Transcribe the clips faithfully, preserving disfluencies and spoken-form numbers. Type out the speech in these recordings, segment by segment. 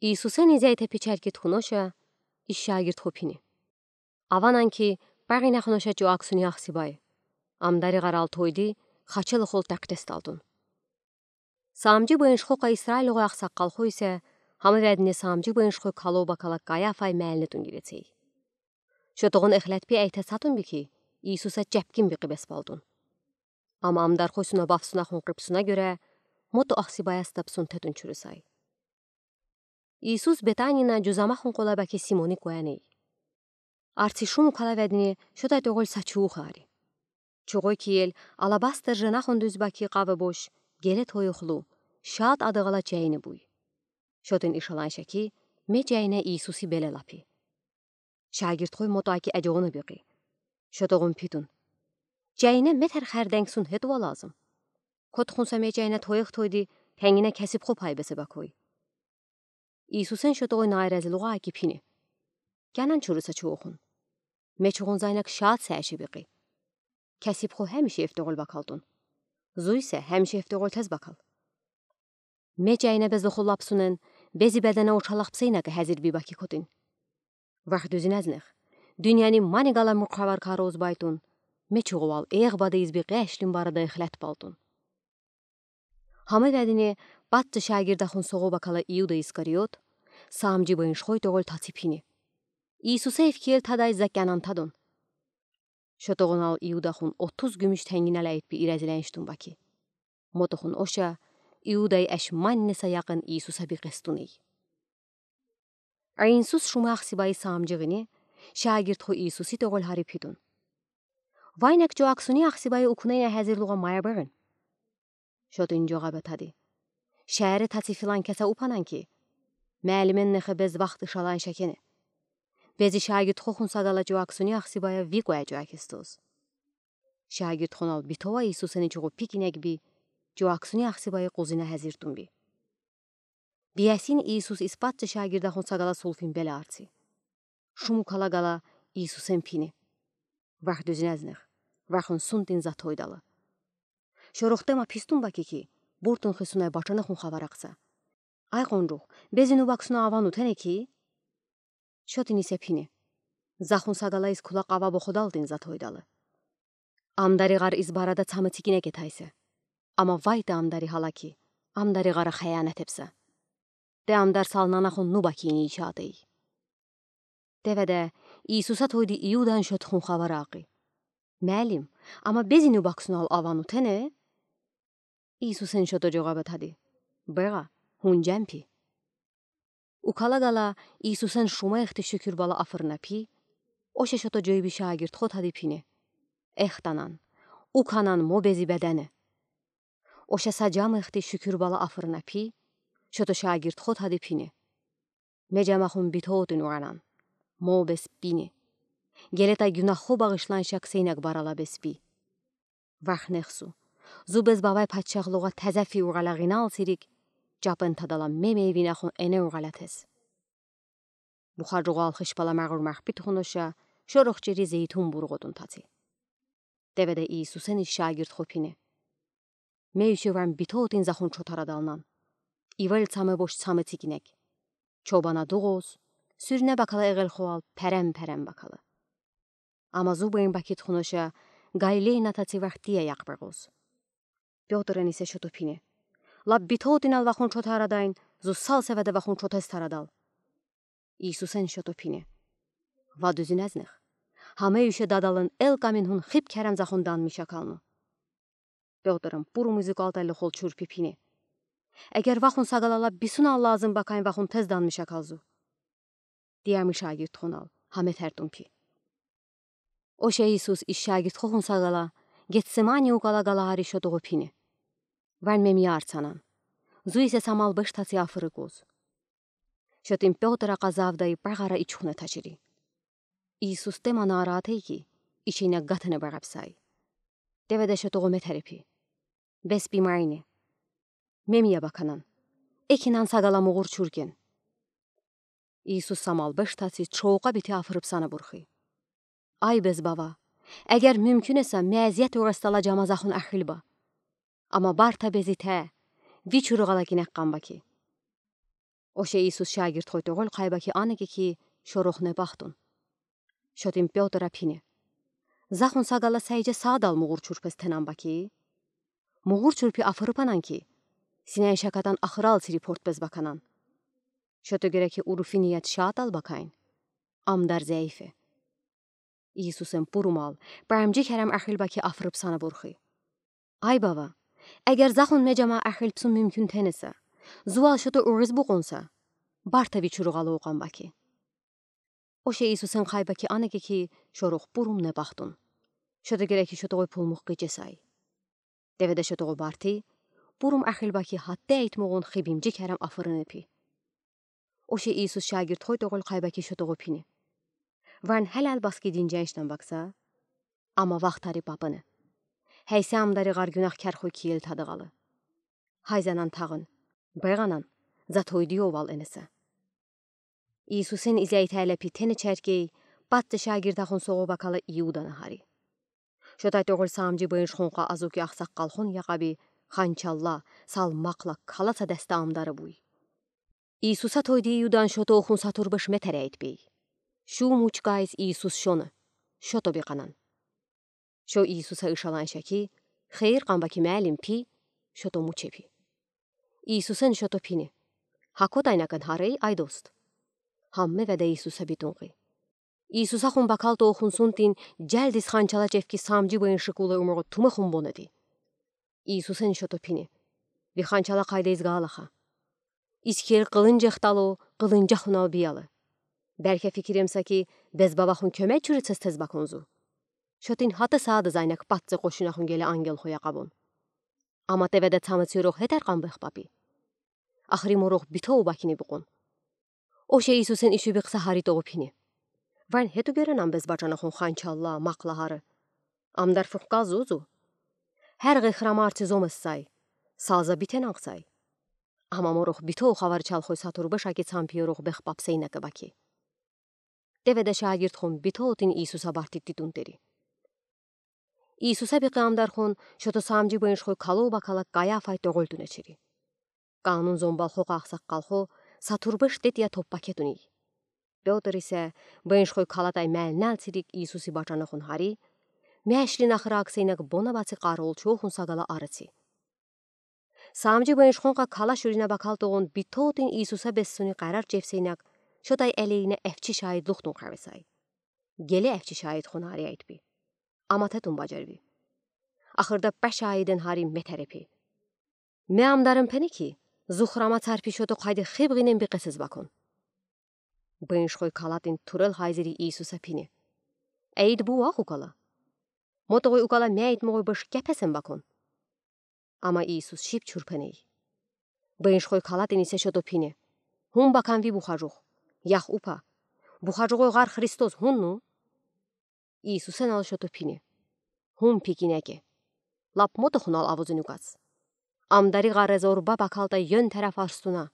Иисусен изяй тепи чаркитхунуша, ис шагирдхо пини: Аванан ки, багинахунуша чу аксуни ахсибай. Амдари гарал тойди, хачел хул такдесталтун. Самджи быеншхокай Исраилгой аксаккалхойса, хамавядни самджи быеншхой кало бакала Каяфай мяльнетун гирецей. Шотогон эхлетпи айта сатунби ки, Иисуса чапкин бикъи беспалтун. Ама амдархой суна бафсунахун къипсуна гёре, мото ахсибаяс табсун тетун чурусай. Иисус Бетанина жузамахун къолабаки Симони куяней. Арци шуму калавядни шотай тёгъол са чугу хари. Чугъой киел алабастер женахун дуьзбаки къавебош, геле тойхлу, шаат адагъала чайни буй. Шотин ишаланша ки, ме чайна Иисуси беле лапи. Шагирдхой мото аки адёна бикъи. Шотогъун питун: Чайна метер хардангсун хетва лазым. Код хунса ме чайна тойх тойди, тенгина касибхо пай бесе бакой. Иисусен шотогъой наразилугъа аки пини: Кенан чуруса чугъухун. Ме чугъун зайнак шаат сааши бикъи. Касибхо хамиши ифтогъол бакалтун. Зуйса хамиши ифтогъол тез бакал. Ме чайна безлоху лапсунен, бези бедена учалах псейнака хазир би баки котин. Вах дуьзинезнех. Дуьньяни мани гала мукъавар кароз байтун. Ме чугъувал эгъ бада изби къешлин барада эхлет балтун. Хамавядни патци шагирдахун соғо бакала Иуда Искариот, самджи быеншхой тёгъол таци пини: Иисуса ифкиел тадай за кенан тадун. Шотогъунал Иудахун отуз гюмюш тенгинал айт би иразиленштун баки. Мотохун оша, Иудай аш манни са якъин Иисуса бикъестуней. Иисус шума ахсибай самджигъини, шагирдхо Иисуси тёгъол хари питун: Вайнак чу аксуни ахсибай укунена хазирлугъа мая бегъин. Шотин жогъаба тади: Шари таци филан кеса упанан ки, мялимен нехе без вахт ишаланша кене. Бези шагирдхохун сагала чу аксуни ахсибая ви куя чу акистоз. Шагирдхонал битова Иисусени чугъу пик инек би, чу аксуни ахсибай къузина хазиртун би. Биясин Иисус ис патци шагирдахун сагала сулфин беле арци. Шуму кала гала Иисусен пини: Вах дуьзинезнех, вахун сунтин затойдала. Шорохтема пистун баки ки, буртун хисунай бачанахун хавар акса. Ай къунжух, бези нубаксуна аван утене ки? Шотин исе пини: Захун сагала ис кула къава боходалтин затойдала. Амдари гъар ис барада цамы цикинеке тайса. Ама вай те амдари гъала ки, амдари гъара хаяна тепса. Те амдар салнанахун нубакини ишатей. Теведе Иисуса тойди Иудан шотхун хавар акъи: Мялим, ама бези нубаксунал аван утене? Иисусен шото жогъаба тади: Бегъа, хунжан пи. Укала гала Иисусен шума ихти шукур бала афырна пи, оша шото жойби шагирдхо тади пини: Эхтанан, уканан мо бези бедене. Оша са жама ихти шукур бала афырна пи, шото шагирдхо тади пини: Ме жамахун битотин уранан, мо бес бини. Гелета гюнаххо багъишланшак сейнак барала бес би. Вахнехсу, зу бес бавай патшахлугъа таза фи угъала гъинал сирик, жапен тадала ме мейвинахун эне угъала тез. Бухаржугъал хышпала магъур махпит хуноша, шорох чири зейтун бургъотун таци. Теведе Иисусен ис шагирдхо пини: Ме уьше варм битотин захун чотарадалнан. Ивел цамы бош цамы цикинек. Чобана дугъоз, сюрне бакала эгелхуал перем-перем бакала. Ама зу быйин бакит хуноша, Галилейна таци вахтия якъ бегъоз. Пётрен исе шото пини: Лап битотинал вахун чотарадайн, зу сал севеде вахун чотес тарадал. Иисусен шото пини: Ва дуьзинезнех. Хамэ уьше дадалын эл каминхун хип керем захун данмиш акалну. Пётрен пурум изыкалтали холчур пи пини: Эгер вахун сагалала бисунал лазым бакайн вахун тез данмиш акалзу. Тиямы шагирдхунал хамэ тертун пи. Оша Иисус ис шагирдхохун сагала, Гетсемани укала галагари шотогъо пини: Варм мемия арцанан. Зу исе са мал беш таци афырыкъ уз. Шотин Пётр акъазавдай багъара ичхуне тачири. Иисус тема наратайки, ичине гатене багъапсай. Теведе шотогъо метери пи: Бес би майни. Мемия баканан. Экинан сагала мугъур чуркен. Иисус са мал беш таци чоука бити афырып сана бурхи: Ай бес бава, эгер мюмкюн эса, ме азият урастала жама захун ахилба. Ама барта безите, ви чуругъала кинек къамбаки. Оше Иисус шагирдхой тоголь кайба ки, ана геки шорохне бахтун. Шотын Пётра пине: Захун сагала сайжа саадал мугур чурпез тенан ба ки? Мугур чурпи афырыпанан ки, синай шакатан ахырал сири портпез баканан. Шото гереки уруфи нияд шаатал бакайн. Амдар зяйфе. Иисусэн пурумал, памжи керем эхил ба ки, афырып сана бурхи: Ай Бава, эгер захун меджама эхил псун мумкин тенеса, зувал шото уриз букъунса, барта ви чуругъа лоукъан ба ки. Оше Иисусэн кайба ки, ана геки шорох пурумне бахтун. Шото гереки шотогой пулмух гыжесай. Деведе шотогой барти, пурум эхил ба ки, хатте айтмогъун хибимжи керем афырыны пи. Оше Иисус шагирдхой тоголь кайба ки, шотогой пине: Варн хелал баски динженшнан бакса, ама вахтари папыны. Хейсе амдари гъар гюнахкерхой киел тадыгъалы. Хайзанан тагъын, бегъанан, затойди овал энеса. Иисусэн изяйтале пи тени чаркей, патты шагирдахун соғо бакала Иуданы хари. Шотай тоголь саамжи быншхунха азуки ахсаккалхун якъаби, ханчалла, сал макъла каласа дасты амдары буй. Иисуса тойди Иудан шото ухун сатурбыш метаряйтбей. Шу мучкайс Иисус шоны, шото бикъанан. Шо Иисуса ышаланша ки, хейир къанба ки, мялим пи, шото муче пи. Иисусэн шото пине: Хакотайна кан харей, ай дост. Хамме веда Иисуса битунги. Иисуса хун бакал тоохун сунтин, джалдис ханчала чевки саамжи быншхуй кулэ умугъу тумэ хун бонеди. Иисусэн шото пине: Ви ханчала кайда изгалаха? Из кел къылынджах тало, къылынджахунал биялэ. Бяльке фикиремса ки, безбавахун кёмек чурицез тез баконзу. Шотын хата саада зайнак патцы къошунахун геле ангелхуя къабон. Ама теведа цамы цирох хетер къан бехпапи. Ахри морох битоу бакини букъун. Оше Иисусэн иши бикъса хари тоғу пине: Вань хету геренан безбачанахун ханчалла, макъла хары. Амдар фухкал зузу. Хер гыхрамар ци зомэссай. Салза битенанхсай. Ама морох битоу хавар чалхой сатурбыш аки цампи ёрох бехпапсэй накэ баки. Теведа шагирдхун битоутын Иисуса бартык титунтери. Иисуса бикъы амдархун шото саамжи быншхуй калоу бакала Каяфай тоголь тунэчери. Канун зомбалхо къахсаккалхо сатурбыш тетья топпа кетуни. Пётр исе быншхуй калатай мяльнал цирик Иисуси бачанахун хари, мяшлин ахыраксэй нак бона баци къаролчохун сагала арыци. Саамжи быншхунха кала шурина бакал тоғун битоутын Иисуса бессуни къарар чевсэй нак, шотай элейна эфчи шаидлухтун хавесай. Геле эфчи шаидхун хари айтпи. Ама тетун баджарви. Ахырда пэ шаидэн хари метарепи. Ме амдарым пени ки, зухрама царпи шото къайди хибгинэн бикъэсэз бакон. Быншхуй калатын турэл хайзири Иисуса пине: Эйд бу ах укала. Мотогой укала мяйт могой быш кяпэсэн бакон. Ама Иисус шип чурпэнэй. Быншхуй калатын исе шото пине: Хун баканви бухажух. Ях упа. Бухажугой гар Христос хунну? Иисусэн ал шото пине: Хун пикинеке. Лап мотохунал авузын указ. Амдари гарез орба бакалтай ён тараф арстуна.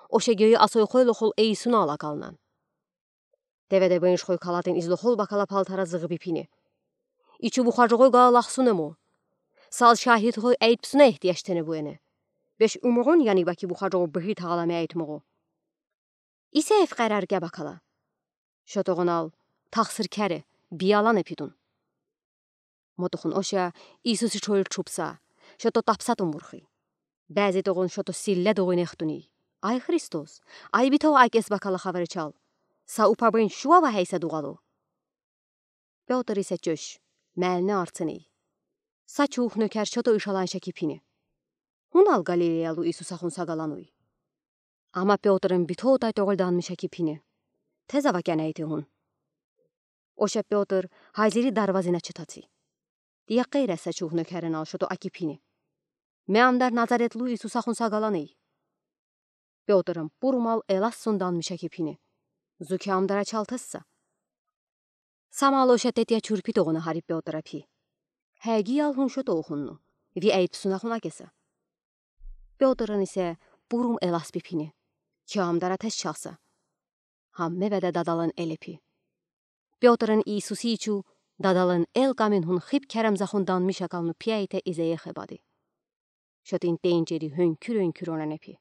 Оше гёй асой хойлохол эйсуна алакалнан. Теведа быншхуй калатын излохол бакала палтара зыгъыби пине: Ичу бухажугой гаал ахсунэмо. Сал шахидхой эйтпсуна ихтияш тэнэ буэне. Беш умугъун яни баки бухажугой быхи тагала мяйт могу. Исе эф къарар гя бакала. Шотогъунал тахсыр кяре, биялан эпитун. Мотохун оша Иисуси чойл чупса, шото тапсатун бурхи. Бязи тогъун шото силле догъун эхтуни: Ай Христос, ай битоу акес бакала хаварычал. Са упа бын шуава хейса дугъалу. Пётр исе чош, мяльне арцыни. Са чух нёкер шото ышаланша ки пине: Хунал Галилеялу Иисуса хун сагалануй. Ама Пётрын битоутай тоголь данмыша ки пине: Тезава кяна эти хун. Оша Пётр хайзири дарвазына читаци. Тия къейраса чух нёкерен ал шото аки пине: Ме амдар Назаретлу Иисуса хун сагаланый. Пётрын пурумал элас сун данмыша ки пине: Зуки амдара чалтысса. Самал оша тетия чурпи тогъуна хари Пётра пи: Хэгиял хун шото ухунну, ви эйтпсуна хун акеса. Пётрын исе пурум элас пи пине: Ки амдара тез чалса. Хамме веда дадалын эле пи. Пётрын Иисуси ичу дадалын эл камин хун хип керемза хун данмыша калну пияйте изэехэ бади. Шотын тенчери хёнкюр-хёнкюр онан эпи.